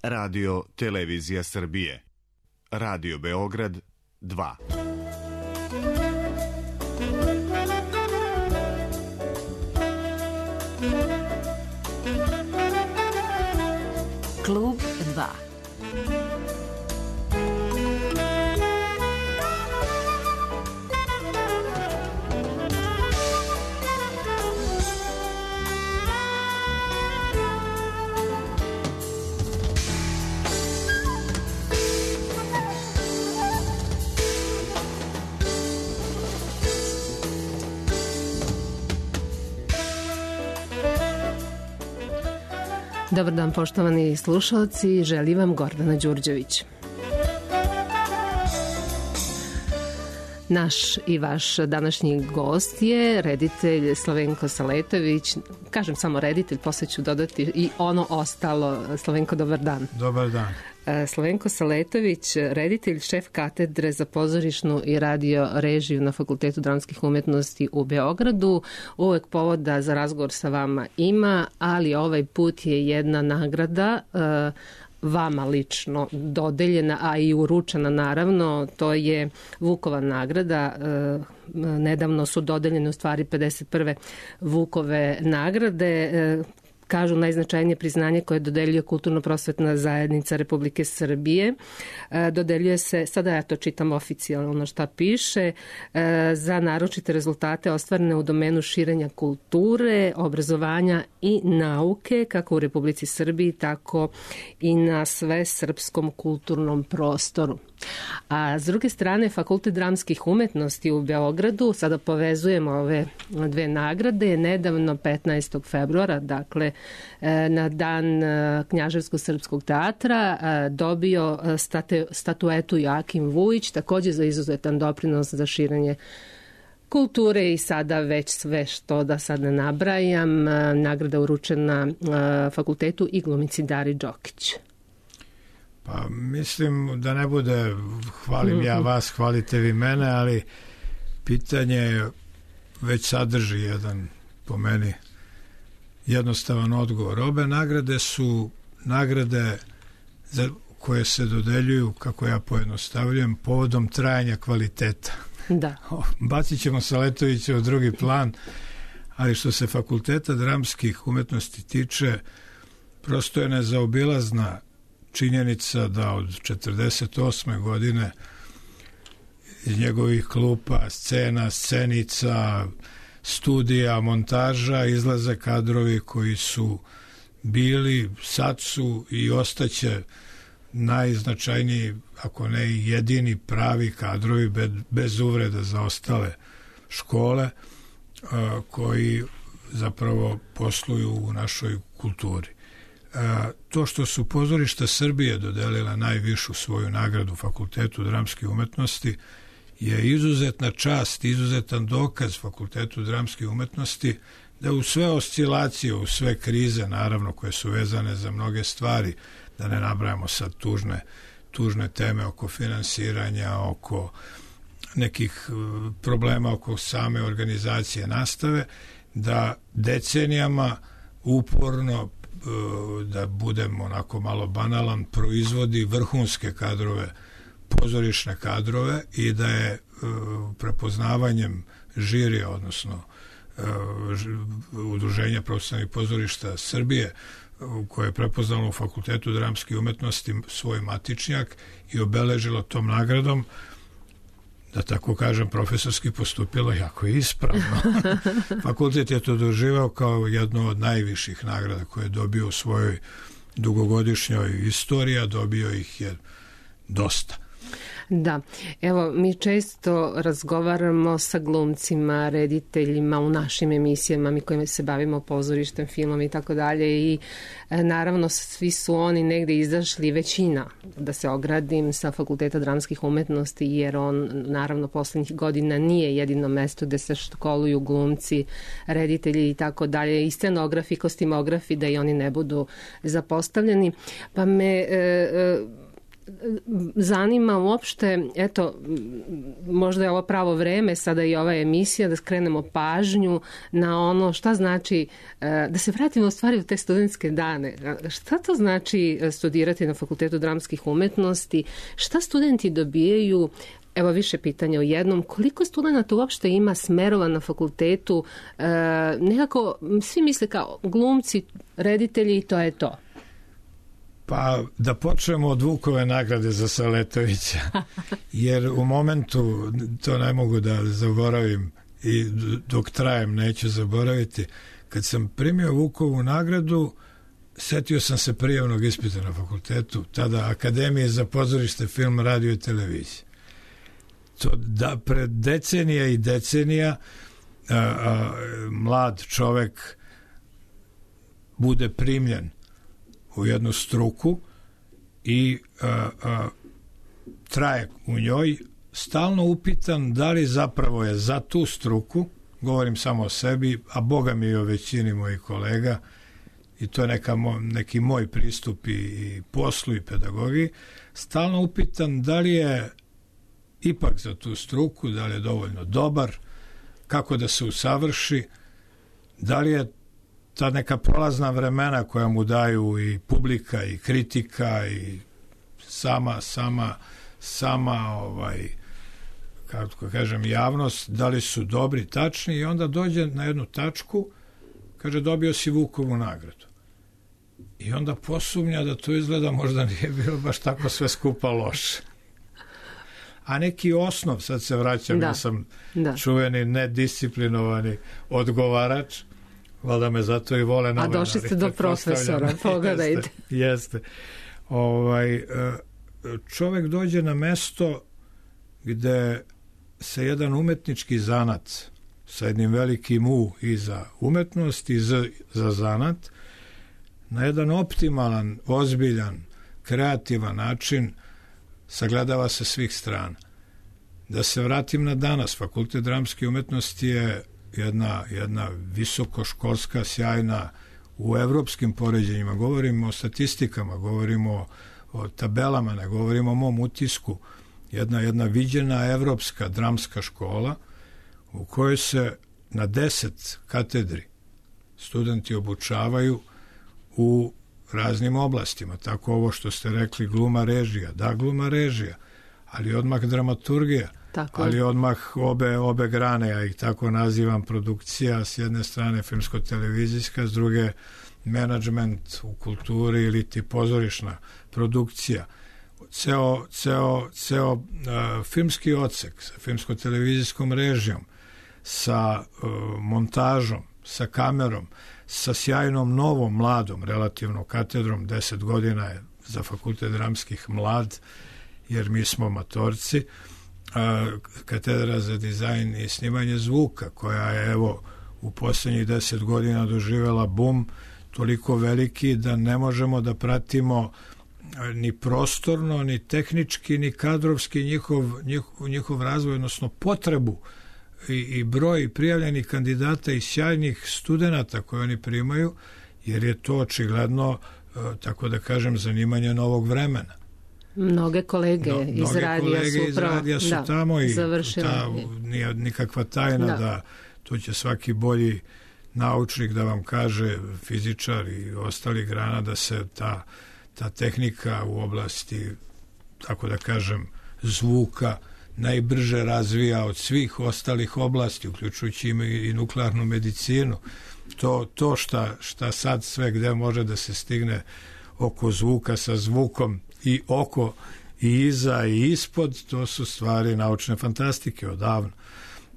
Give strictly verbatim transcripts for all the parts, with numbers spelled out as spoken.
Radio Televizija Srbije. Radio Beograd dva. Klub dva. Dobar dan, poštovani slušalci, želim vam Gordana Đurđević. Naš i vaš današnji gost je reditelj Slavenko Saletović. Kažem samo reditelj, posle ću dodati i ono ostalo. Slavenko, dobar dan. Dobar dan. Slavenko Saletović, reditelj, šef katedre za pozorišnu i radio režiju na Fakultetu dramskih umetnosti u Beogradu. Uvek povoda za razgovor sa vama ima, ali ovaj put je jedna nagrada vama lično dodeljena, a i uručena naravno. To je Vukova nagrada. Nedavno su dodeljene u stvari pedeset prve Vukove nagrade. Kažu najznačajnije priznanje koje dodeljuje Kulturno-prosvetna zajednica Republike Srbije. Dodeljuje se, sada ja to čitam oficijalno šta piše, za naročite rezultate ostvarene u domenu širenja kulture, obrazovanja i nauke, kako u Republici Srbiji, tako i na sve srpskom kulturnom prostoru. A s druge strane, Fakultet dramskih umetnosti u Beogradu, sada povezujemo ove dve nagrade, nedavno petnaestog februara, dakle na dan Knjaževsko-srpskog teatra, dobio statu, statuetu Joakim Vujić, takođe za izuzetan doprinos za širenje kulture i sada već sve što da sad ne nabrajam. Nagrada uručena fakultetu i glumici Dari Đokić. Pa mislim da ne bude hvalim ja vas, hvalite vi mene, ali pitanje već sadrži jedan, po meni, jednostavan odgovor. Obe nagrade su nagrade za koje se dodeljuju, kako ja pojednostavljujem, povodom trajanja kvaliteta. Da. Bacit ćemo Saletovića u drugi plan, ali što se Fakulteta dramskih umetnosti tiče, prosto je nezaobilazna činjenica da od četrdeset osme godine iz njegovih klupa, scena, scenica, studija, montaža izlaze kadrovi koji su bili, sad su i ostaće najznačajniji, ako ne i jedini pravi kadrovi bez, bez uvreda za ostale škole koji zapravo posluju u našoj kulturi. To što su pozorišta Srbije dodelila najvišu svoju nagradu Fakultetu dramskih umetnosti je izuzetna čast, izuzetan dokaz Fakultetu dramskih umetnosti da u sve oscilacije, u sve krize, naravno, koje su vezane za mnoge stvari, da ne nabrajamo sad tužne, tužne teme oko finansiranja, oko nekih problema oko same organizacije nastave, da decenijama uporno, da budem onako malo banalan, proizvodi vrhunske kadrove, pozorišne kadrove i da je prepoznavanjem žirija, odnosno Udruženja profesionalnih pozorišta Srbije, koje je prepoznalo u Fakultetu dramskih umetnosti svoj matičnjak i obeležilo tom nagradom, da tako kažem, profesorski postupilo jako ispravno. Fakultet je to doživao kao jednu od najviših nagrada koje je dobio u svojoj dugogodišnjoj istoriji, a dobio ih je dosta. Da, evo, mi često razgovaramo sa glumcima, rediteljima u našim emisijama, mi kojima se bavimo pozorištem, filmom i tako dalje, i naravno svi su oni negde izašli, većina, da se ogradim, sa Fakulteta dramskih umetnosti, jer on naravno poslednjih godina nije jedino mesto gde se školuju glumci, reditelji i tako dalje, i scenografi, kostimografi, da i oni ne budu zapostavljeni. Pa me... E, zanima uopšte, eto, možda je ovo pravo vreme, sada i ova emisija, da skrenemo pažnju na ono šta znači, da se vratimo u stvari u te studentske dane. Šta to znači studirati na Fakultetu dramskih umetnosti? Šta studenti dobijaju? Evo više pitanja u jednom. Koliko studenta uopšte ima smerova na fakultetu? E, nekako svi misle kao glumci, reditelji i to je to. Pa da počnemo od Vukove nagrade za Saletovića, jer u momentu, to ne mogu da zaboravim i dok trajem neću zaboraviti, kad sam primio Vukovu nagradu, setio sam se prijavnog ispita na fakultetu, tada Akademije za pozorište, film, radio i televiziju. To da pred decenija i decenija a, a, mlad čovek bude primljen u jednu struku i a, a, traje u njoj, stalno upitan da li zapravo je za tu struku, govorim samo o sebi, a boga mi i o većini mojih kolega, i to je neka mo, neki moj pristup i, i poslu i pedagogiji, stalno upitan da li je ipak za tu struku, da li je dovoljno dobar, kako da se usavrši, da li je ta neka prolazna vremena koja mu daju i publika i kritika i sama sama sama ovaj kako kažem javnost, da li su dobri, tačni, i onda dođe na jednu tačku, kaže dobio si Vukovu nagradu. I onda posumnja da to izgleda možda nije bilo baš tako sve skupa loše. A neki osnov, sad se vraćam, da, ja sam da. čuveni nedisciplinovani odgovarač, valjda me zato i vole novinari. A došli ste do profesora, pogledajte. Jeste, jeste. Ovaj, čovek dođe na mesto gde se jedan umetnički zanat sa jednim velikim U i za umetnost i za, za zanat na jedan optimalan, ozbiljan, kreativan način sagledava se svih strana. Da se vratim na danas, Fakultet dramske umetnosti je jedna, jedna visokoškolska, sjajna, u evropskim poređenjima, govorimo o statistikama, govorimo o, o tabelama, ne govorimo o mom utisku, jedna, jedna viđena evropska dramska škola u kojoj se na deset katedri studenti obučavaju u raznim oblastima. Tako ovo što ste rekli, gluma, režija. Da, gluma, režija, ali odmah dramaturgija, tako. Ali odmah obe, obe grane, ja ih tako nazivam, produkcija, s jedne strane filmsko-televizijska, s druge menadžment u kulturi ili ti pozorišna produkcija. Ceo, ceo, ceo uh, filmski odsek sa filmsko-televizijskom režijom, sa uh, montažom, sa kamerom, sa sjajnom novom, mladom, relativno katedrom, deset godina je za Fakultet dramskih mlad, jer mi smo matorci, a, katedra za dizajn i snimanje zvuka, koja je, evo, u posljednjih deset godina doživjela bum toliko veliki da ne možemo da pratimo ni prostorno, ni tehnički, ni kadrovski njihov, njihov, njihov razvoj, odnosno potrebu i, i broj prijavljenih kandidata i sjajnih studenata koje oni primaju, jer je to očigledno, tako da kažem, zanimanje novog vremena. Mnoge kolege no, iz mnoge radija kolege su, iz radija su da, tamo i završili. Ta, nije nikakva tajna da. da to će svaki bolji naučnik da vam kaže, fizičar i ostali grana, da se ta, ta tehnika u oblasti, tako da kažem, zvuka najbrže razvija od svih ostalih oblasti, uključujući i nuklearnu medicinu. To, to šta, šta sad sve gde može da se stigne oko zvuka sa zvukom i oko i iza i ispod, to su stvari naučne fantastike odavno.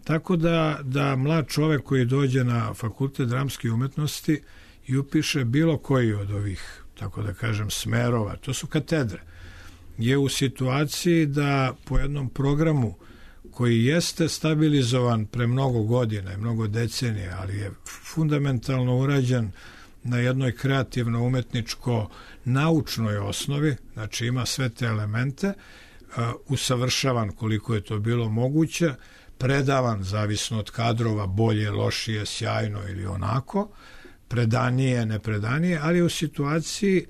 Tako da, da mlad čovek koji dođe na Fakultet dramske umetnosti i upiše bilo koji od ovih, tako da kažem, smerova, to su katedre, je u situaciji da po jednom programu koji jeste stabilizovan pre mnogo godina i mnogo decenija, ali je fundamentalno urađen na jednoj kreativno-umetničko-naučnoj osnovi, znači ima sve te elemente, uh, usavršavan koliko je to bilo moguće, predavan, zavisno od kadrova, bolje, lošije, sjajno ili onako, predanije, nepredanije, ali u situaciji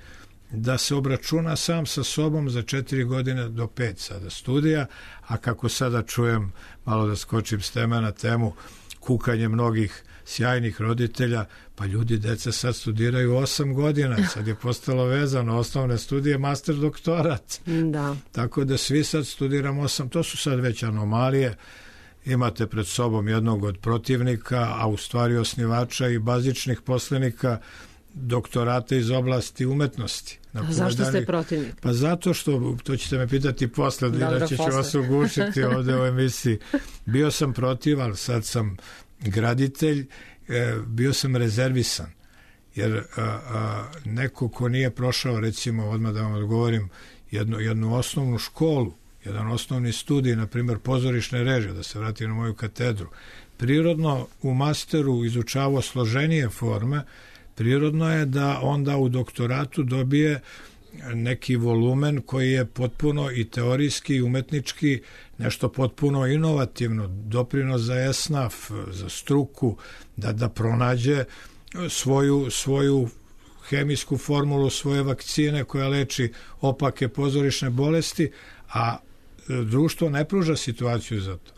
da se obračuna sam sa sobom za četiri godine do pet sada studija, a kako sada čujem, malo da skočim s teme na temu, kukanje mnogih sjajnih roditelja, pa ljudi, deca sad studiraju osam godina, sad je postalo vezano, osnovne studije, master doktorat. Da. Tako da svi sad studiramo osam, to su sad već anomalije, imate pred sobom jednog od protivnika, a u stvari osnivača i bazičnih poslenika doktorata iz oblasti umetnosti. Zašto ste protivnik? Pa zato što, to ćete me pitati posle, inače ću vas ugušiti ovde u emisiji. Bio sam protiv, ali sad sam graditelj, bio sam rezervisan, jer a, a, neko ko nije prošao, recimo, odmah da vam odgovorim, jednu, jednu osnovnu školu, jedan osnovni studij, na primjer pozorišne režije, da se vratim na moju katedru, prirodno u masteru izučavao složenije forme, prirodno je da onda u doktoratu dobije neki volumen koji je potpuno i teorijski i umetnički nešto potpuno inovativno, doprinos za esnaf, za struku, da, da pronađe svoju, svoju hemijsku formulu, svoje vakcine koja leči opake pozorišne bolesti, a društvo ne pruža situaciju za to.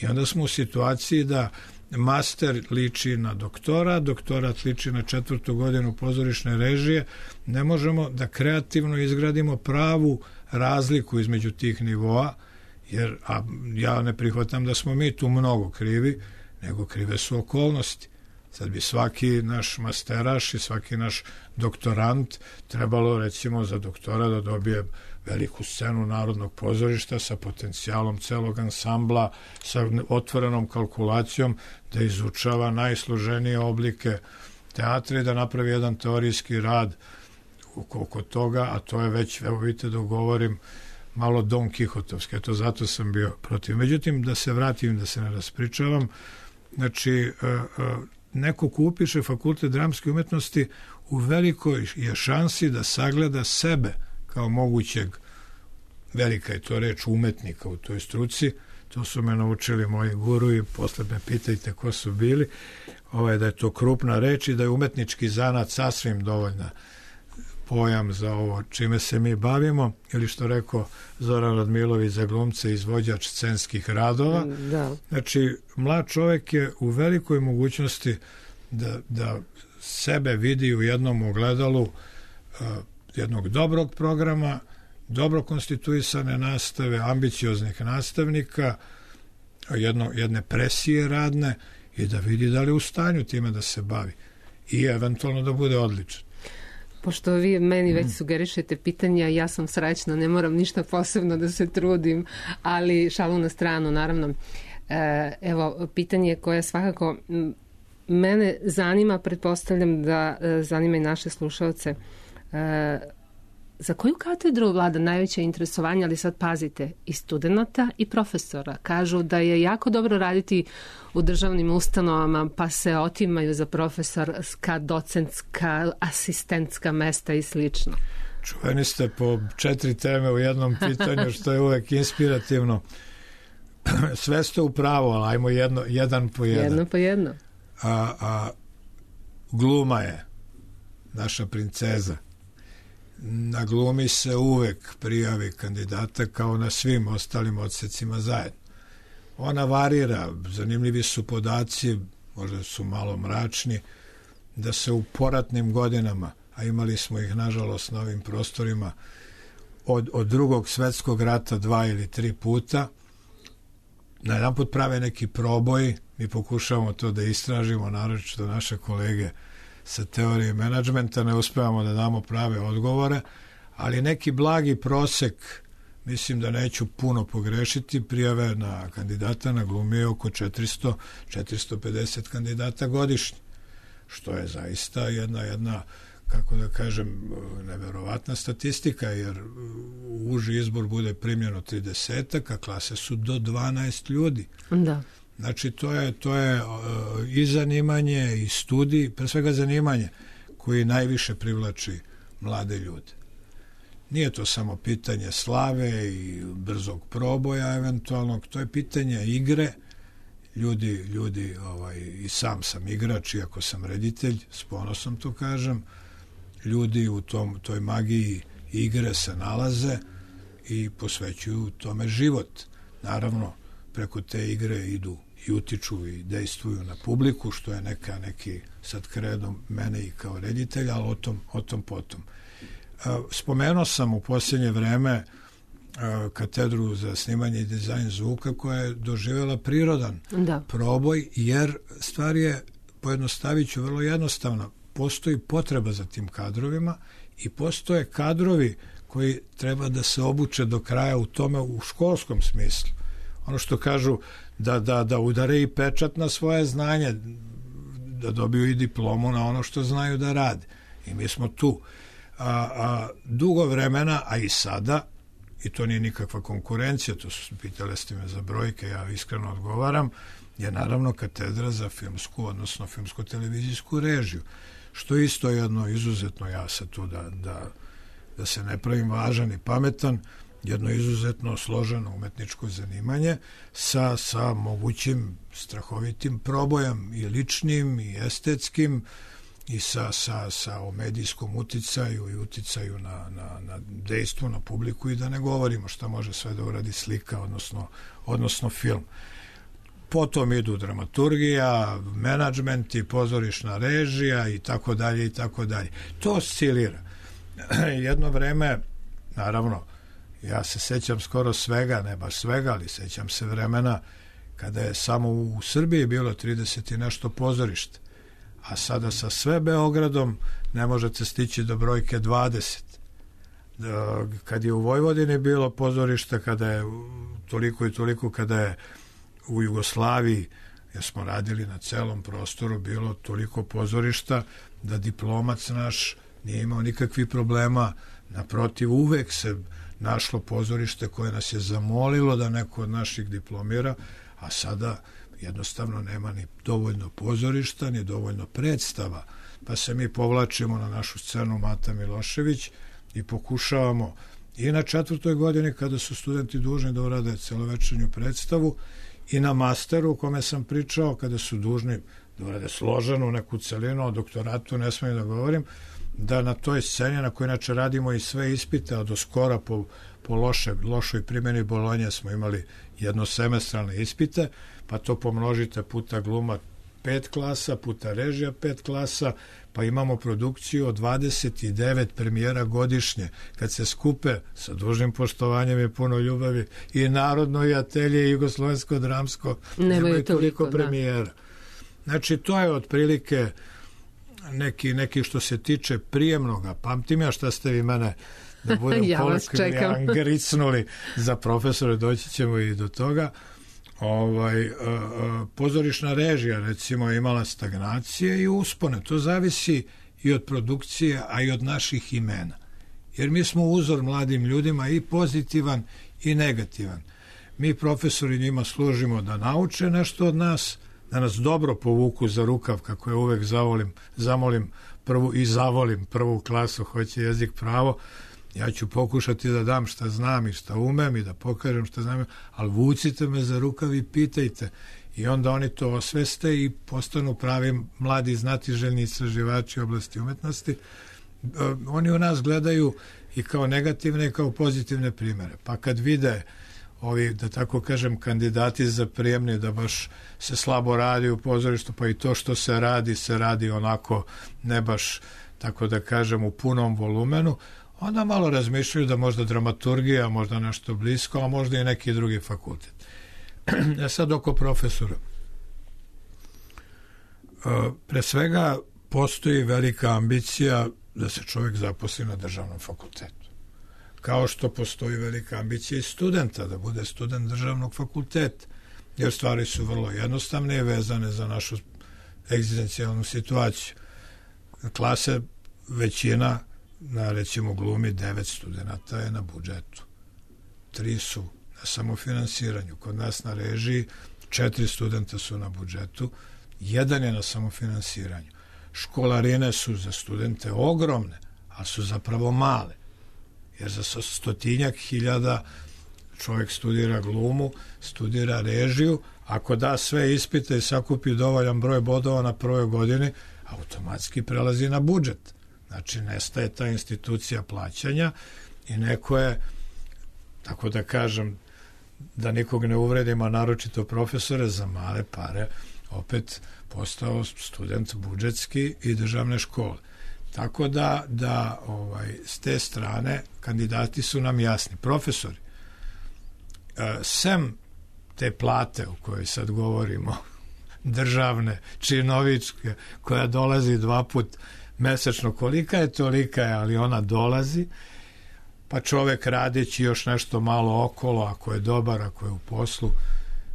I onda smo u situaciji da master liči na doktora, doktorat liči na četvrtu godinu pozorišne režije, ne možemo da kreativno izgradimo pravu razliku između tih nivoa, jer a ja ne prihvatam da smo mi tu mnogo krivi, nego krive su okolnosti. Sad bi svaki naš masteraš i svaki naš doktorant trebalo, recimo, za doktora da dobije veliku scenu Narodnog pozorišta sa potencijalom celog ansambla, sa otvorenom kalkulacijom, da izučava najsloženije oblike teatra i da napravi jedan teorijski rad oko toga, a to je već, evo vidite da govorim, malo Don Kihotovski, eto zato sam bio protiv. Međutim, da se vratim, da se ne raspričavam, znači, neko ko upiše fakultet dramske umetnosti u velikoj je šansi da sagleda sebe kao mogućeg, velika je to reč, umetnika u toj struci. To su me naučili moji guru i posle me pitajte ko su bili, ovaj, da je to krupna reč i da je umetnički zanat sasvim dovoljna pojam za ovo čime se mi bavimo, ili što rekao Zoran Radmilović za glumce, izvođač scenskih radova. Da. Znači, mlad čovjek je u velikoj mogućnosti da, da sebe vidi u jednom ogledalu uh, jednog dobrog programa, dobro konstituisane nastave, ambicioznih nastavnika, jedno, jedne presije radne i da vidi da li je u stanju time da se bavi i eventualno da bude odličan. Pošto vi meni već sugerišete pitanja, ja sam srećna, ne moram ništa posebno da se trudim, ali šalu na stranu, naravno. Evo, pitanje koje svakako mene zanima, pretpostavljam da zanima i naše slušalce. Za koju katedru vlada najveće interesovanje, ali sad pazite, i studenta i profesora? Kažu da je jako dobro raditi u državnim ustanovama, pa se otimaju za profesorska, docentska, asistentska mesta i slično. Čuveni ste po četiri teme u jednom pitanju, što je uvek inspirativno. Sve ste u pravu, ali ajmo jedno, jedan po jedan. Jedno po jedno. A, a gluma je naša princeza. Na glumi se uvek prijavi kandidata kao na svim ostalim odsecima zajedno. Ona varira, zanimljivi su podaci, možda su malo mračni, da se u poratnim godinama, a imali smo ih nažalost na ovim prostorima, od, od drugog svetskog rata dva ili tri puta, na jedan put prave neki proboj, mi pokušavamo to da istražimo, naročito naše kolege sa teorije menadžmenta, ne uspevamo da damo prave odgovore, ali neki blagi prosek, mislim da neću puno pogrešiti, prijave na kandidata na glumi je oko četiristo do četiristo pedeset kandidata godišnje, što je zaista jedna, jedna kako da kažem, neverovatna statistika, jer u uži izbor bude primljeno tridesetak, a klase su do dvanaest ljudi. Da. Znači, to je, to je uh, i zanimanje i studij, pre svega zanimanje koji najviše privlači mlade ljude. Nije to samo pitanje slave i brzog proboja eventualnog, to je pitanje igre. Ljudi, ljudi ovaj, i sam sam igrač, iako sam reditelj, s ponosom to kažem, ljudi u tom, toj magiji igre se nalaze i posvećuju tome život. Naravno, preko te igre idu i utiču i dejstvuju na publiku, što je neka neki sad kredo mene i kao reditelja, ali o tom, o tom potom. Spomenuo sam u posljednje vreme katedru za snimanje i dizajn zvuka koja je doživjela prirodan da. proboj, jer stvar je, pojednostavit ću, vrlo jednostavna. Postoji potreba za tim kadrovima i postoje kadrovi koji treba da se obuče do kraja u tome u školskom smislu. Ono što kažu da, da, da udare i pečat na svoje znanje, da dobiju i diplomu na ono što znaju da rade. I mi smo tu. A, a dugo vremena, a i sada, i to nije nikakva konkurencija, to su pitali ste me za brojke, ja iskreno odgovaram, je naravno katedra za filmsku, odnosno filmsko-televizijsku režiju, što isto je jedno izuzetno, ja sad tu da, da, da se ne pravim važan i pametan, jedno izuzetno složeno umetničko zanimanje sa, sa mogućim strahovitim probojem i ličnim i estetskim i sa, sa, sa o medijskom uticaju i uticaju na, na, na dejstvo, na publiku i da ne govorimo šta može sve da uradi slika, odnosno, odnosno film. Potom idu dramaturgija, menadžment i pozorišna režija i tako dalje i tako dalje. To oscilira. Jedno vreme, naravno, ja se sećam skoro svega, ne baš svega, ali sećam se vremena kada je samo u Srbiji bilo trideset i nešto pozorišta, a sada sa sve Beogradom ne možete stići do brojke dvadeset. Kad je u Vojvodini bilo pozorišta, kada je toliko i toliko, kada je u Jugoslaviji, jer smo radili na celom prostoru, bilo toliko pozorišta da diplomac naš nije imao nikakvih problema, naprotiv, uvek se našlo pozorište koje nas je zamolilo da neko od naših diplomira, a sada jednostavno nema ni dovoljno pozorišta, ni dovoljno predstava, pa se mi povlačimo na našu scenu Mata Milošević i pokušavamo i na četvrtoj godini kada su studenti dužni da urade celovečernju predstavu i na masteru o kome sam pričao kada su dužni da urade složenu neku celinu, o doktoratu ne smijem da govorim, da na toj sceni na kojoj inače radimo i sve ispite, a do skora po, po loše, lošoj primjeni Bolonje smo imali jednosemestralne ispite, pa to pomnožite puta gluma pet klasa, puta režija pet klasa, pa imamo produkciju od dvadeset devet premijera godišnje. Kad se skupe, sa dužnim poštovanjem i puno ljubavi, i Narodno i Atelje i Jugoslovensko dramsko, nemaju toliko premijera. Da. Znači, to je otprilike neki, neki što se tiče prijemnoga. Pamtim ja šta ste vi mene da budem ja kolokvijalno gricnuli za profesore, doći ćemo i do toga. Ovaj, uh, uh, pozorišna režija recimo imala stagnacije i uspone. To zavisi i od produkcije, a i od naših imena. Jer mi smo uzor mladim ljudima i pozitivan i negativan. Mi profesori njima služimo da nauče nešto od nas, da nas dobro povuku za rukav, kako je uvek zavolim, zamolim prvu i zavolim prvu klasu, hoće jezik pravo. Ja ću pokušati da dam šta znam i šta umem i da pokažem šta znam, ali vucite me za rukav i pitajte. I onda oni to osveste i postanu pravi mladi znatiželjni istraživači oblasti umetnosti. Oni u nas gledaju i kao negativne i kao pozitivne primere. Pa kad vide ovi, da tako kažem, kandidati za prijemni, da baš se slabo radi u pozorištu, pa i to što se radi, se radi onako ne baš, tako da kažem, u punom volumenu, onda malo razmišljaju da možda dramaturgija, možda nešto blisko, a možda i neki drugi fakultet. E sad oko profesora. Pre svega postoji velika ambicija da se čovjek zaposli na državnom fakultetu. Kao što postoji velika ambicija i studenta da bude student državnog fakulteta, jer stvari su vrlo jednostavne i vezane za našu egzistencijalnu situaciju. Klase većina na recimo glumi devet studenta je na budžetu. Tri su na samofinansiranju. Kod nas na režiji četiri studenta su na budžetu, jedan je na samofinansiranju. Školarine su za studente ogromne, a su zapravo male. Jer za stotinjak hiljada čovjek studira glumu, studira režiju, ako da sve ispite i sakupi dovoljan broj bodova na prvoj godini, automatski prelazi na budžet. Znači, nestaje ta institucija plaćanja i neko je, tako da kažem, da nikog ne uvredimo, naročito profesore, za male pare opet postao student budžetski i državne škole. Tako da, da ovaj, s te strane kandidati su nam jasni. Profesori, sem te plate o kojoj sad govorimo, državne, činovičke, koja dolazi dva put mesečno, kolika je, tolika je, ali ona dolazi, pa čovek radeći još nešto malo okolo, ako je dobar, ako je u poslu,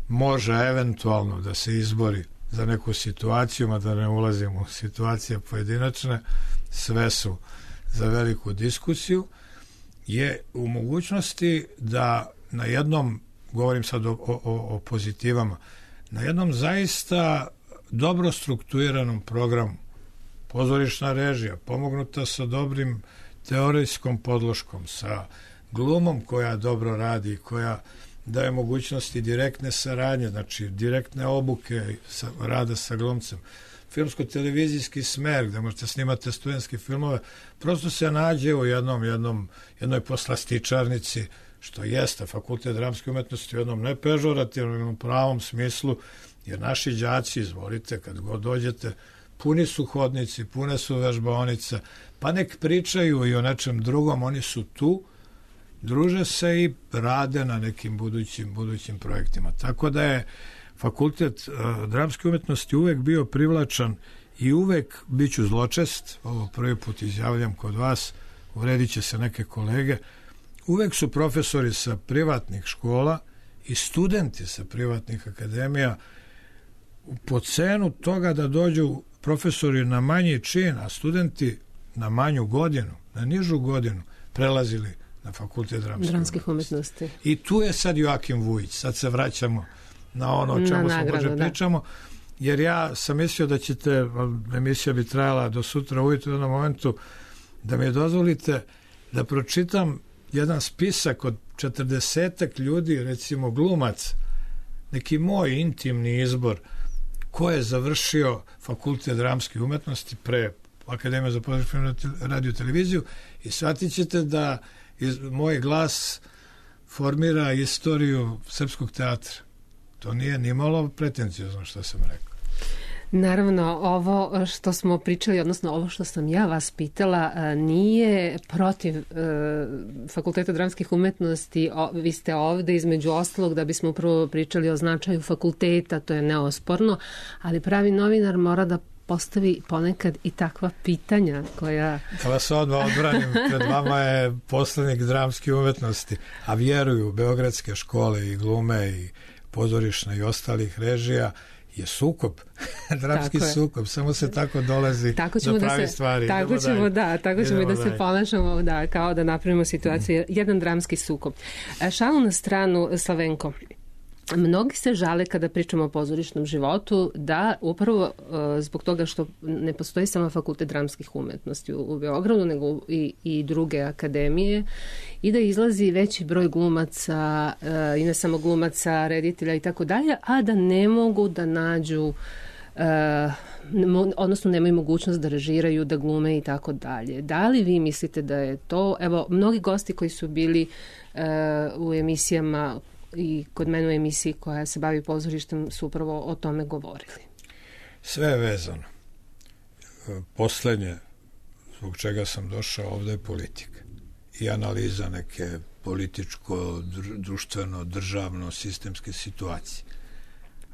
može eventualno da se izbori za neku situaciju, a da ne ulazimo u situacije pojedinačne, sve su za veliku diskusiju, je u mogućnosti da na jednom, govorim sad o, o, o pozitivama, na jednom zaista dobro strukturiranom programu, pozorišna režija, pomognuta sa dobrim teorijskom podloškom, sa glumom koja dobro radi, koja daje mogućnosti direktne saradnje, znači direktne obuke sa, rada sa glumcem, filmsko-televizijski smer, gde možete snimati studentske filmove, prosto se nađe u jednom, jednom, jednoj poslastičarnici, što jeste fakultet dramske umetnosti u jednom nepežorativnom pravom smislu, jer naši đaci, izvolite, kad god dođete, puni su hodnici, pune su vežbaonice, pa nek pričaju i o nečem drugom, oni su tu, druže se i rade na nekim budućim, budućim projektima. Tako da je fakultet uh, dramske umetnosti uvek bio privlačan i uvek, bit ću zločest, ovo prvi put izjavljam kod vas, uvredit će se neke kolege, uvek su profesori sa privatnih škola i studenti sa privatnih akademija po cenu toga da dođu profesori na manji čin, a studenti na manju godinu, na nižu godinu, prelazili na fakultet dramskih, dramskih umetnosti. umetnosti. I tu je sad Joakim Vujić. Sad se vraćamo na ono o čemu smo možda pričamo, jer ja sam mislio da ćete, emisija bi trajala do sutra ujutro u jednom momentu, da mi dozvolite da pročitam jedan spisak od četrdesetak ljudi, recimo glumac, neki moj intimni izbor, ko je završio fakultet dramske umetnosti pre Akademije za pozorišnu radio televiziju, i shvatit ćete da iz, moj glas formira istoriju srpskog teatra. To nije ni malo pretencijozno što sam rekao. Naravno, ovo što smo pričali, odnosno ovo što sam ja vas pitala, nije protiv e, Fakulteta dramskih umetnosti. O, vi ste ovde između ostalog da bismo upravo pričali o značaju fakulteta, to je neosporno, ali pravi novinar mora da postavi ponekad i takva pitanja koja... Da vas odmah odbranim, pred vama je poslanik dramske umetnosti, a vjeruju beogradske škole i glume i pozorišne i ostalih režija, je sukob, dramski sukob, samo se tako dolazi tako do pravi da se, stvari. Tako Idemo ćemo, dalje. da, tako ćemo Idemo da dalje. se ponašamo, da, kao da napravimo situaciju, mm. jedan dramski sukob. Šalu na stranu, Slavenko, mnogi se žale kada pričamo o pozorišnom životu da upravo uh, zbog toga što ne postoji samo fakultet dramskih umetnosti u, u Beogradu, nego i, i druge akademije, i da izlazi veći broj glumaca uh, i ne samo glumaca, reditelja i tako dalje, a da ne mogu da nađu Uh, odnosno nemaju mogućnost da režiraju, da glume i tako dalje. Da li vi mislite da je to, evo, mnogi gosti koji su bili uh, u emisijama i kod mene u emisiji koja se bavi pozorištem su upravo o tome govorili. Sve je vezano. Poslednje zbog čega sam došao ovde je politika i analiza neke političko, društveno, državno, sistemske situacije.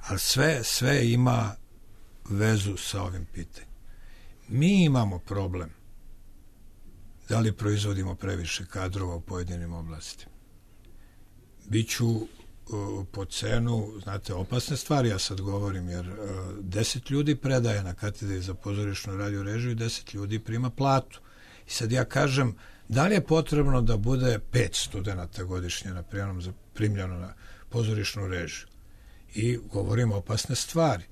Ali sve, sve ima vezu sa ovim pitanjem. Mi imamo problem da li proizvodimo previše kadrova u pojedinim oblastima. Biću uh, po cenu, znate, opasne stvari, ja sad govorim, jer uh, deset ljudi predaje na katedri za pozorišnu radio režiju i deset ljudi prima platu. I sad ja kažem, da li je potrebno da bude pet studenta godišnje na prijemnom za primljeno na pozorišnu režiju? I govorim opasne stvari.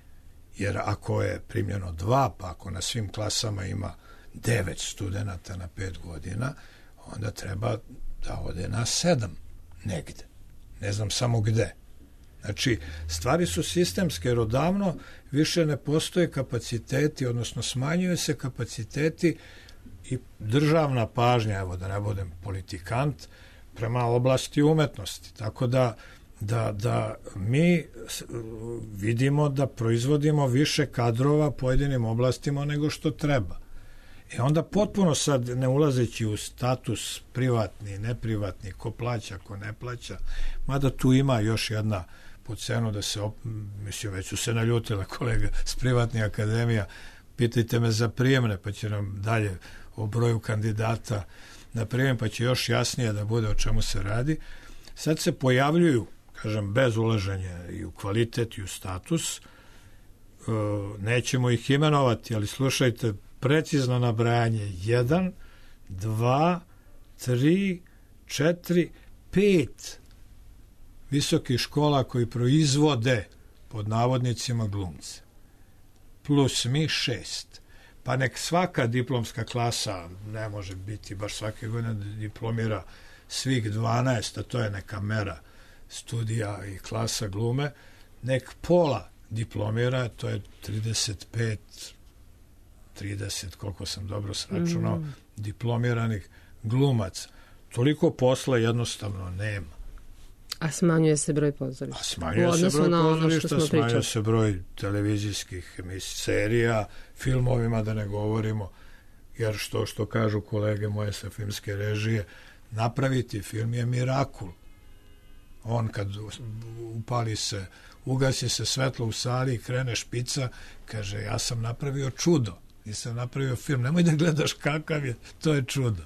Jer ako je primljeno dva, pa ako na svim klasama ima devet studenta na pet godina, onda treba da ode na sedam negde. Ne znam samo gde. Znači, stvari su sistemske, jer odavno više ne postoje kapaciteti, odnosno smanjuju se kapaciteti i državna pažnja, evo da ne budem politikant, prema oblasti umetnosti. Tako da, da, da mi vidimo da proizvodimo više kadrova pojedinim oblastima nego što treba. I onda potpuno sad, ne ulazeći u status privatni, neprivatni, ko plaća, ko ne plaća, mada tu ima još jedna po cenu da se, op... mislim, već su se naljutile kolega s privatnih akademija, pitajte me za prijemne, pa će nam dalje o broju kandidata na prijem, pa će još jasnije da bude o čemu se radi. Sad se pojavljuju, kažem, bez ulaženja i u kvalitet i u status, nećemo ih imenovati, ali slušajte, precizno nabrajanje jedan, dva, tri, četiri, pet visokih škola koji proizvode pod navodnicima glumce. Plus mi šest. Pa nek svaka diplomska klasa, ne može biti baš svake godine diplomira svih dvanaest, a to je neka mera studija i klasa glume, nek pola diplomira, to je trideset pet, trideset, koliko sam dobro sračunao, mm. diplomiranih glumaca. Toliko posla jednostavno nema. A smanjuje se broj pozorišta. A smanjuje se broj pozorišta, smanjuje se broj televizijskih serija, filmovima da ne govorimo, jer što što kažu kolege moje sa filmske režije, napraviti film je mirakul. On kad upali se, ugasi se svetlo u sali i krene špica, kaže, ja sam napravio čudo, nisam napravio film, nemoj da gledaš kakav je, to je čudo.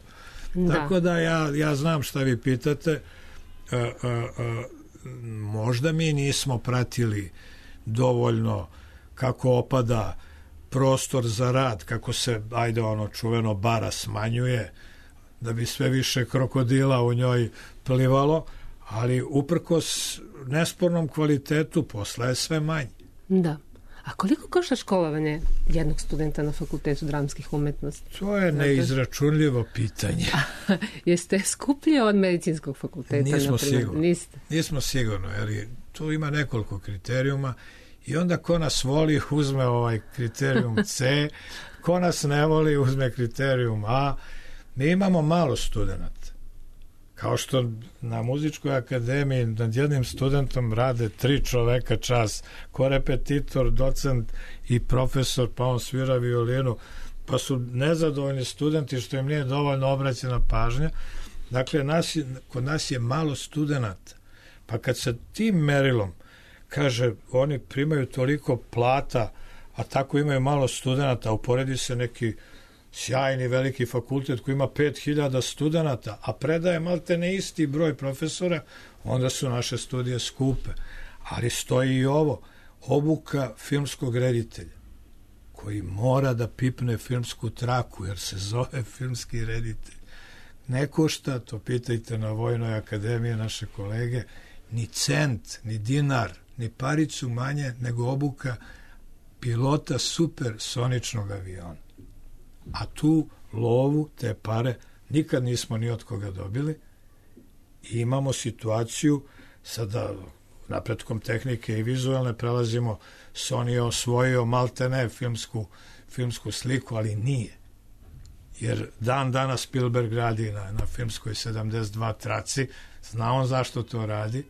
Da. Tako da ja, ja znam šta vi pitate. A, a, a, možda mi nismo pratili dovoljno kako opada prostor za rad, kako se, ajde ono čuveno, bara smanjuje, da bi sve više krokodila u njoj plivalo, ali uprkos nespornom kvalitetu posla je sve manje. Da. A koliko košta školovanje jednog studenta na Fakultetu dramskih umetnosti? To je neizračunljivo pitanje. Jeste skuplje od medicinskog fakulteta? Nismo sigurno. Niste? Nismo sigurno, jer tu ima nekoliko kriterijuma i onda ko nas voli uzme ovaj kriterijum C, ko nas ne voli uzme kriterijum A. Mi imamo malo studenta. Kao što na muzičkoj akademiji nad jednim studentom rade tri čoveka čas, korepetitor, docent i profesor, pa on svira violinu, pa su nezadovoljni studenti što im nije dovoljno obraćena pažnja. Dakle, nas, kod nas je malo studenata. Pa kad se tim merilom kaže, oni primaju toliko plata, a tako imaju malo studenata, uporedi se neki sjajni veliki fakultet koji ima pet hiljada studenata, a predaje malte ne isti broj profesora, onda su naše studije skupe. Ali stoji i ovo, obuka filmskog reditelja, koji mora da pipne filmsku traku, jer se zove filmski reditelj. Ne košta, to pitajte na Vojnoj akademiji naše kolege, ni cent, ni dinar, ni paricu manje nego obuka pilota supersoničnog aviona. A tu lovu, te pare, nikad nismo ni od koga dobili i imamo situaciju, sada napretkom tehnike i vizualne prelazimo, Sony je osvojio maltene filmsku, filmsku sliku, ali nije. Jer dan danas Spielberg radi na, na filmskoj sedamdeset dva traci, zna on zašto to radi,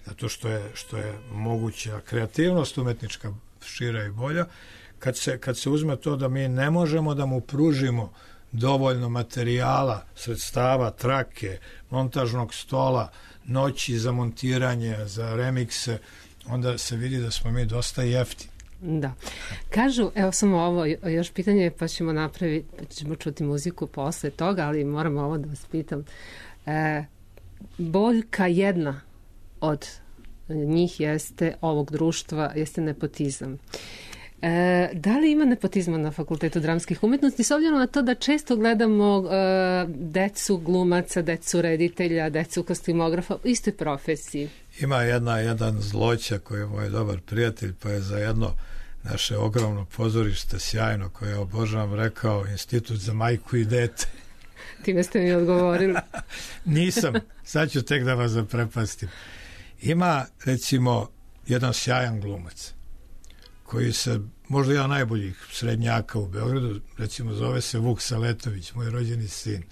zato što je, što je moguća kreativnost umetnička šira i bolja. Kad se, kad se uzme to da mi ne možemo da mu pružimo dovoljno materijala, sredstava, trake, montažnog stola, noći za montiranje, za remikse, onda se vidi da smo mi dosta jeftini. Da. Kažu, evo samo ovo, još pitanje, pa ćemo napraviti, pa ćemo čuti muziku posle toga, ali moram ovo da vas pitam. E, boljka jedna od njih jeste, ovog društva, jeste nepotizam. E, da li ima nepotizma na Fakultetu dramskih umetnosti, s obzirom na to da često gledamo e, decu glumaca, decu reditelja, decu kostimografa u istoj profesiji? Ima jedna, jedan zloća koji je moj dobar prijatelj, pa je za jedno naše ogromno pozorište sjajno koje obožavam rekao Institut za majku i dete. Time ste mi odgovorili. Nisam, sad ću tek da vas zaprepastim. Ima, recimo, jedan sjajan glumac koji se možda ja najboljih srednjaka u Beogradu, recimo zove se Vuk Saletović, moj rođeni sin.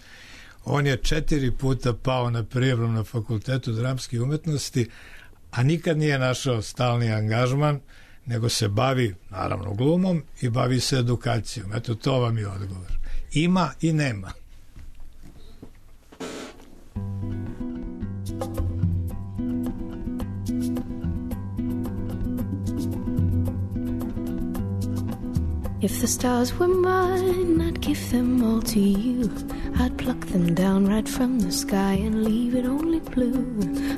On je četiri puta pao na prijemnom na Fakultetu dramskih umetnosti, a nikad nije našao stalni angažman, nego se bavi, naravno, glumom i bavi se edukacijom. Eto, to vam je odgovor. Ima i nema. If the stars were mine, I'd give them all to you. I'd pluck them down right from the sky and leave it only blue.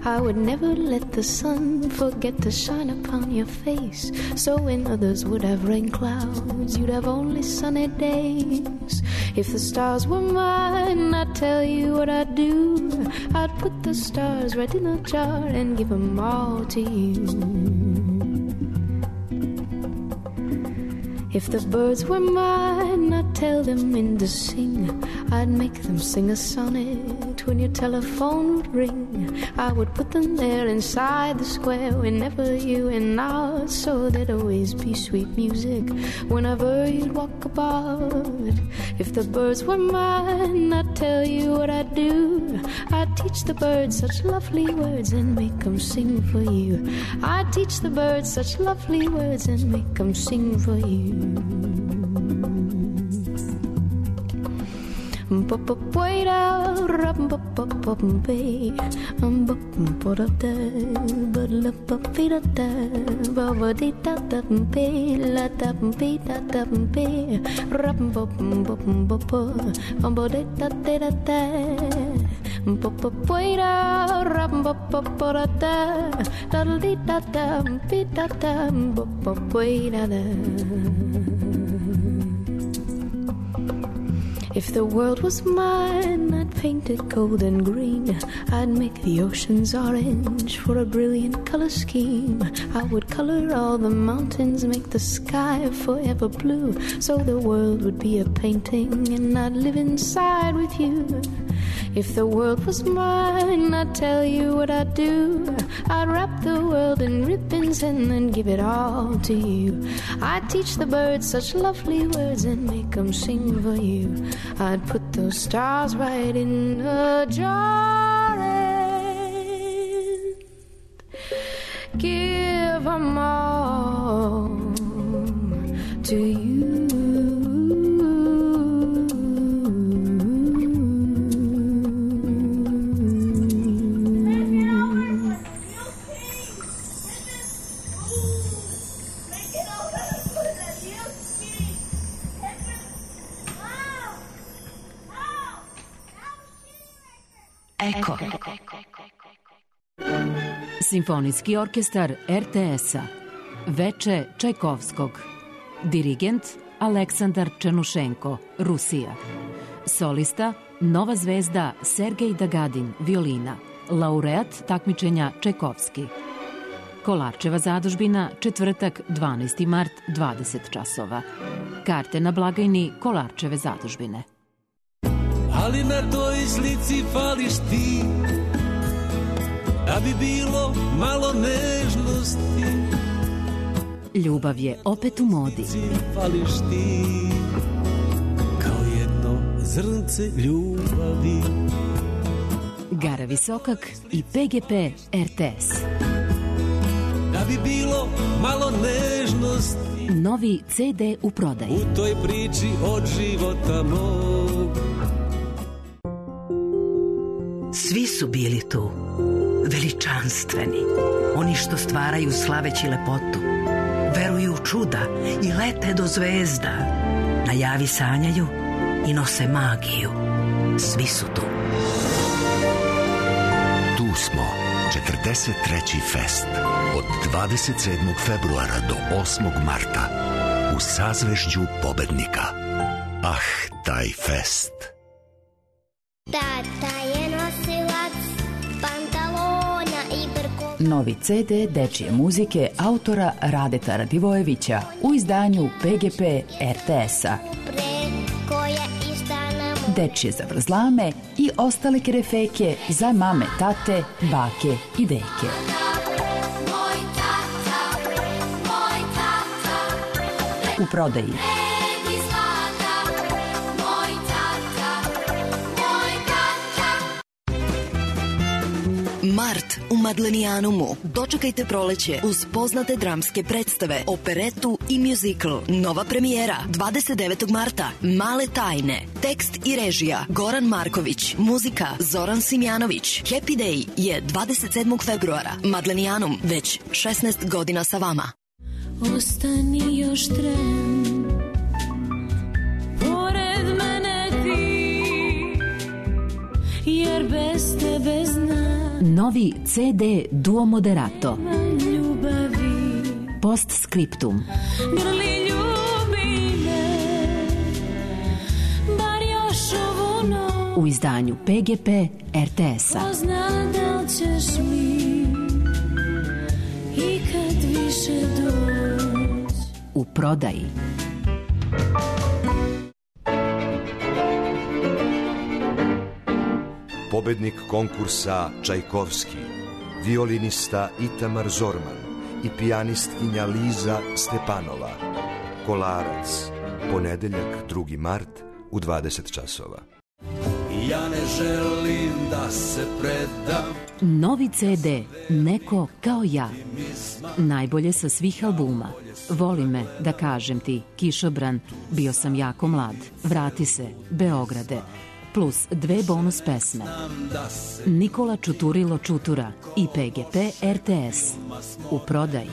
I would never let the sun forget to shine upon your face. So when others would have rain clouds, you'd have only sunny days. If the stars were mine, I'd tell you what I'd do. I'd put the stars right in a jar and give them all to you. If the birds were mine, I'd tell them when to sing. I'd make them sing a sonnet when your telephone would ring. I would put them there inside the square whenever you went out, so there'd always be sweet music whenever you'd walk about. If the birds were mine, I'd tell you what I'd do. I'd teach the birds such lovely words and make them sing for you. I'd teach the birds such lovely words and make them sing for you. If the world was mine, I'd paint it gold and green. I'd make the oceans orange for a brilliant color scheme. I would color all the mountains, make the sky forever blue, so the world would be a painting and I'd live inside with you. If the world was mine, I'd tell you what I'd do. I'd wrap the world in ribbons and then give it all to you. I'd teach the birds such lovely words and make them sing for you. I'd put those stars right in a jar and give them all to you. Eko. Simfonijski orkestar er te es-a. Veče Čajkovskog. Dirigent Aleksandar Černušenko, Rusija. Solista Nova zvezda Sergej Dagadin, violina. Laureat takmičenja Čajkovski. Kolarčeva zadužbina, četvrtak, dvanaesti mart, dvadeset časova. Karte na blagajni Kolarčeve zadužbine. Ali na toj slici fališ ti, da bi bilo malo nežnosti. Ljubav je opet u modi. Fališ ti, kao jedno zrnce ljubavi. Gara Visokak i pe ge pe er te es. Da bi bilo malo nežnosti. Novi ce de u prodaji. U toj priči od života mog. Svi su bili tu, veličanstveni, oni što stvaraju slaveći lepotu, veruju u čuda i lete do zvezda, na javi sanjaju i nose magiju. Svi su tu. Tu smo, četrdeset treći fest, od dvadeset sedmog februara do osmog marta, u sazvežđu pobednika. Ah, taj fest! Tata je nosilac pantalona i brko. Novi ce de dečije muzike autora Radeta Radivojevića u izdanju pe ge pe er te es-a. Dečije zavrzlame i ostale kerefeke za mame, tate, bake i deke. u prodaji. Mart u Madlenijanumu. Dočekajte proleće uz poznate dramske predstave, operetu i mjuzikl. Nova premijera dvadeset devetog marta. Male tajne. Tekst i režija Goran Marković. Muzika Zoran Simjanović. Happy Day je dvadeset sedmog februara. Madlenijanum već šesnaest godina sa vama. Ostani još tren, pored mene ti, jer bez tebe znam. Novi ce de Duo Moderato. Postscriptum. Grli ljubi me, bar još ovu noć. U izdanju pe ge pe er te es-a. Ko zna da li ćeš mi ikad više doći. U prodaji. Pobednik konkursa Čajkovski, violinista Itamar Zorman i pijanistkinja Liza Stepanova. Kolarac, ponedeljak drugi mart u dvadeset časova. Ja ne želim da se predam. Novi ce de Neko kao ja. Najbolje sa svih albuma. Voli me, da kažem ti, Kišobran, Bio sam jako mlad, Vrati se, Beograde, plus dve bonus pesme. Nikola Čuturilo Čutura i pe ge pe er te es. U prodaji.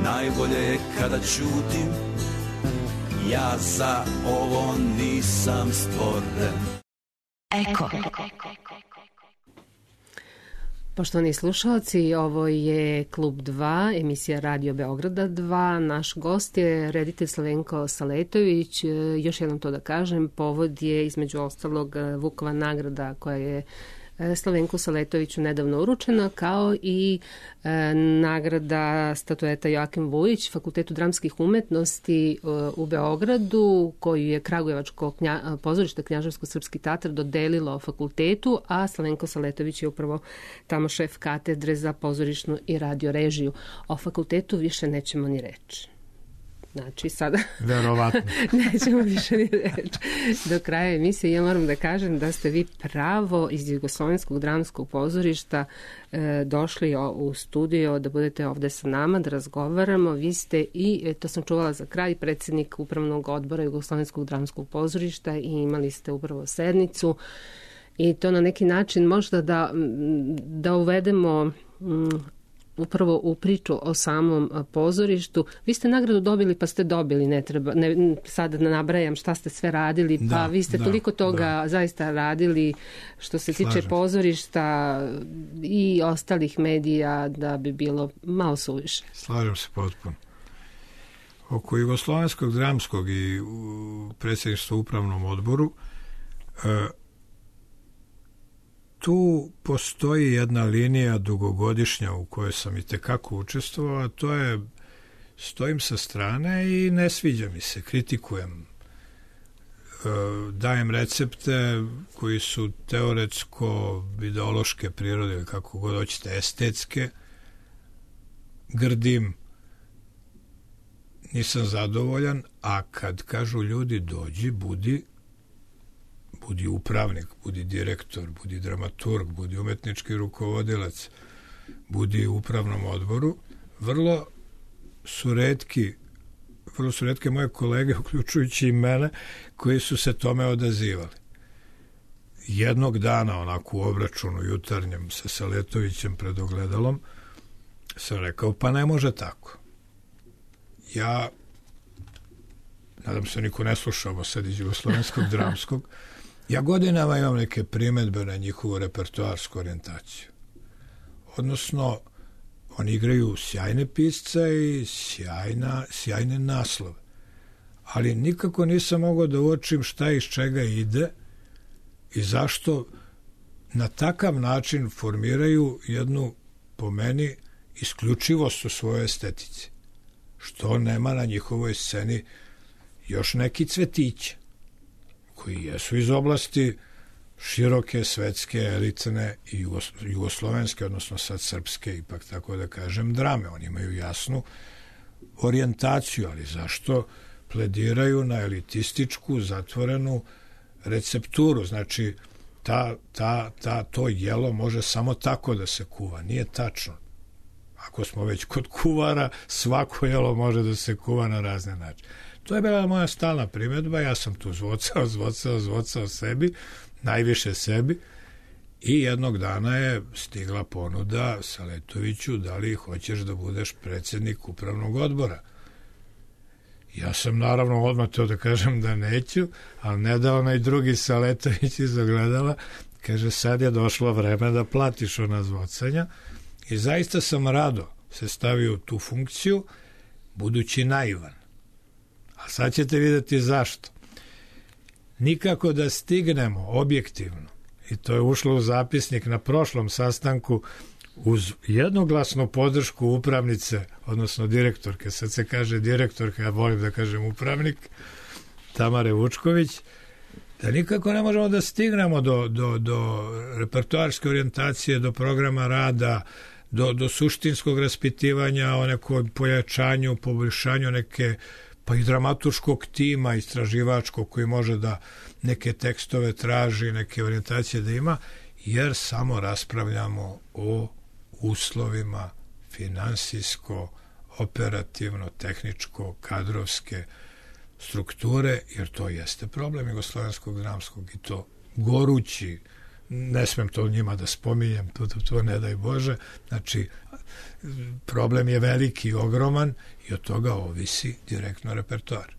Najbolje je kada ćutim, ja za ovo nisam stvoren. Eko. Poštovani slušalci, ovo je Klub dva, emisija Radio Beograda dva. Naš gost je reditelj Slavenko Saletović. Još jednom to da kažem, povod je između ostalog Vukova nagrada koja je Slavenku Saletoviću nedavno uručena, kao i e, nagrada statueta Joakim Vujić Fakultetu dramskih umetnosti e, u Beogradu, koju je Kragujevačko knja, pozorište Knjaževsko-srpski teatr dodelilo fakultetu, a Slavenko Saletović je upravo tamo šef katedre za pozorišnu i radio režiju. O fakultetu više nećemo ni reći. Znači, sada verovatno nećemo više ni reći. Do kraja emisije ja moram da kažem da ste vi pravo iz Jugoslovenskog dramskog pozorišta e, došli o, u studio da budete ovde sa nama, da razgovaramo. Vi ste i, e, to sam čuvala za kraj, predsjednik upravnog odbora Jugoslovenskog dramskog pozorišta i imali ste upravo sednicu i to na neki način možda da, da uvedemo m, upravo u priču o samom pozorištu. Vi ste nagradu dobili pa ste dobili, ne treba, ne, sad ne nabrajam šta ste sve radili, pa da, vi ste da, toliko toga da. zaista radili što se Slažem. tiče pozorišta i ostalih medija da bi bilo malo suviše. Slažem se potpuno. Oko Jugoslovenskog dramskog i predsjedništva upravnom odboru e, tu postoji jedna linija dugogodišnja u kojoj sam i tekako učestvovao, a to je stojim sa strane i ne sviđa mi se, kritikujem. Dajem recepte koji su teoretsko, ideološke prirode, kako god hoćete, estetske, grdim, nisam zadovoljan, a kad kažu ljudi dođi, budi, budi upravnik, budi direktor, budi dramaturg, budi umetnički rukovodilac, budi u upravnom odboru, vrlo su retki, vrlo su retke moje kolege, uključujući i mene, koji su se tome odazivali. Jednog dana, onako u obračunu jutarnjem sa Saletovićem pred ogledalom, sam rekao, pa ne može tako. Ja, nadam se niko ne sluša ovo sad iz Jugoslovenskog dramskog, ja godinama imam neke primedbe na njihovu repertoarsku orijentaciju. Odnosno, oni igraju sjajne pisce i sjajna, sjajne naslove. Ali nikako nisam mogao da uočim šta iz čega ide i zašto na takav način formiraju jednu, po meni, isključivost u svojoj estetici. Što nema na njihovoj sceni još neki cvetiće koji jesu iz oblasti široke, svetske, elitne i jugoslovenske, odnosno sad srpske, ipak tako da kažem, drame. Oni imaju jasnu orijentaciju, ali zašto plediraju na elitističku, zatvorenu recepturu. Znači, ta, ta, ta, to jelo može samo tako da se kuva. Nije tačno. Ako smo već kod kuvara, svako jelo može da se kuva na razne načine. To je bila moja stalna primjedba, ja sam tu zvocao, zvocao, zvocao sebi, najviše sebi, i jednog dana je stigla ponuda Saletoviću, da li hoćeš da budeš predsjednik upravnog odbora. Ja sam naravno odmah to da kažem da neću, ali ne da onaj drugi Saletović iz ogledala, kaže, sad je došlo vreme da platiš ona zvocanja, i zaista sam rado se stavio u tu funkciju, budući naivan. A sad ćete vidjeti zašto. Nikako da stignemo objektivno, i to je ušlo u zapisnik na prošlom sastanku, uz jednoglasnu podršku upravnice, odnosno direktorke, sad se kaže direktorka, ja volim da kažem upravnik, Tamare Vučković, da nikako ne možemo da stignemo do, do, do repertoarske orijentacije, do programa rada, do, do suštinskog raspitivanja o nekoj pojačanju, poboljšanju neke, pa i dramaturškog tima istraživačkog koji može da neke tekstove traži, neke orijentacije da ima, jer samo raspravljamo o uslovima finansijsko, operativno, tehničko, kadrovske strukture, jer to jeste problem jugoslovenskog dramskog, i to gorući, ne smem to njima da spominjem, to, to, to ne daj Bože, znači problem je veliki, ogroman, i od toga ovisi direktno repertoar.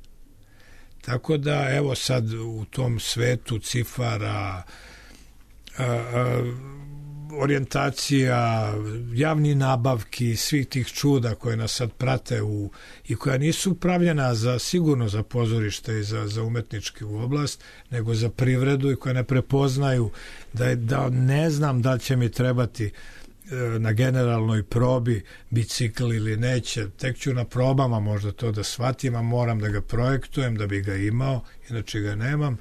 Tako da, evo sad u tom svetu cifara, a, a, orijentacija, javni nabavki, svih tih čuda koje nas sad prate u, i koja nisu pravljena za, sigurno za pozorište i za, za umetničku oblast, nego za privredu, i koja ne prepoznaju da, da ne znam da li će mi trebati na generalnoj probi bicikl ili neće, tek ću na probama možda to da shvatim, a moram da ga projektujem da bi ga imao, inače ga nemam.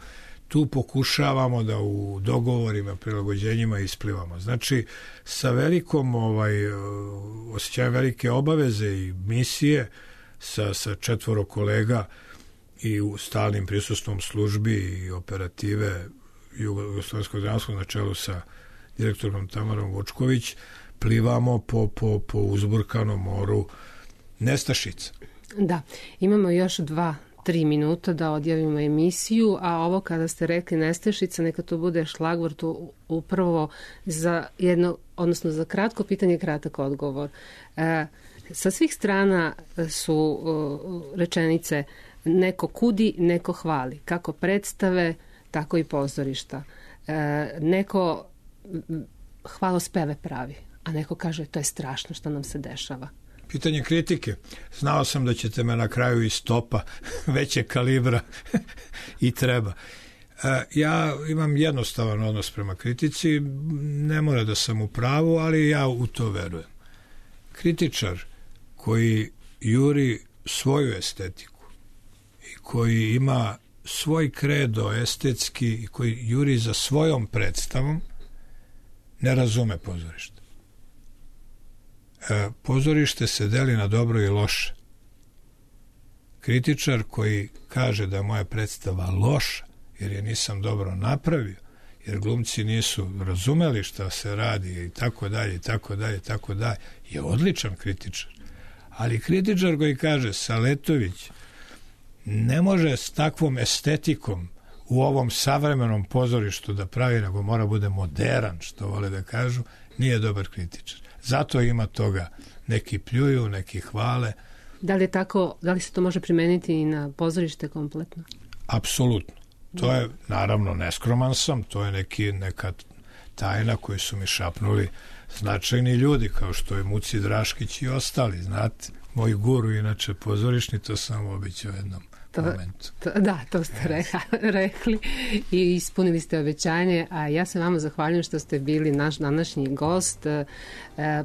Tu pokušavamo da u dogovorima, prilagođenjima isplivamo. Znači, sa velikom ovaj, osjećajem velike obaveze i misije, sa, sa četvoro kolega i u stalnim prisustvom službi i operative Jugoslovenskog dramskog na čelu sa direktorom Tamarom Vučković, plivamo po, po, po uzburkanom moru nestašica. Da, imamo još dva, tri minuta da odjavimo emisiju, a ovo kada ste rekli nestašica, neka to bude šlagvort upravo za jedno, odnosno za kratko pitanje, kratak odgovor. E, sa svih strana su o, rečenice neko kudi, neko hvali. Kako predstave, tako i pozorišta. E, neko hvalospeve pravi, a neko kaže to je strašno što nam se dešava. Pitanje kritike. Znao sam da ćete me na kraju iz topa veće kalibra i treba. E, ja imam jednostavan odnos prema kritici, ne mora da sam u pravu, ali ja u to verujem. Kritičar koji juri svoju estetiku i koji ima svoj kredo estetski i koji juri za svojom predstavom, ne razume pozorište. E, pozorište se deli na dobro i loše. Kritičar koji kaže da je moja predstava loša, jer je nisam dobro napravio, jer glumci nisu razumeli šta se radi i tako dalje, i tako dalje, i tako dalje, je odličan kritičar. Ali kritičar koji kaže Saletović ne može s takvom estetikom u ovom savremenom pozorištu da pravi, nego mora bude moderan, što vole da kažu, nije dobar kritičar. Zato ima toga. Neki pljuju, neki hvale. Da li je tako, da li se to može primeniti i na pozorište kompletno? Apsolutno. To je, naravno, neskroman sam, to je neki, neka tajna koju su mi šapnuli značajni ljudi, kao što je Muci Draškić i ostali, znate. Moj guru, inače pozorišni, to sam obećao jednom to, momentu. To, da, to ste re, rekli i ispunili ste obećanje, a ja se vama zahvaljujem što ste bili naš današnji gost. E,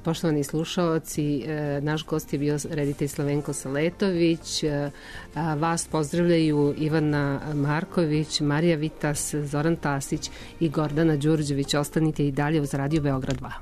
poštovani slušaoci, e, naš gost je bio reditelj Slavenko Saletović, e, vas pozdravljaju Ivana Marković, Marija Vitas, Zoran Tasić i Gordana Đurđević. Ostanite i dalje uz Radio Beograd dva.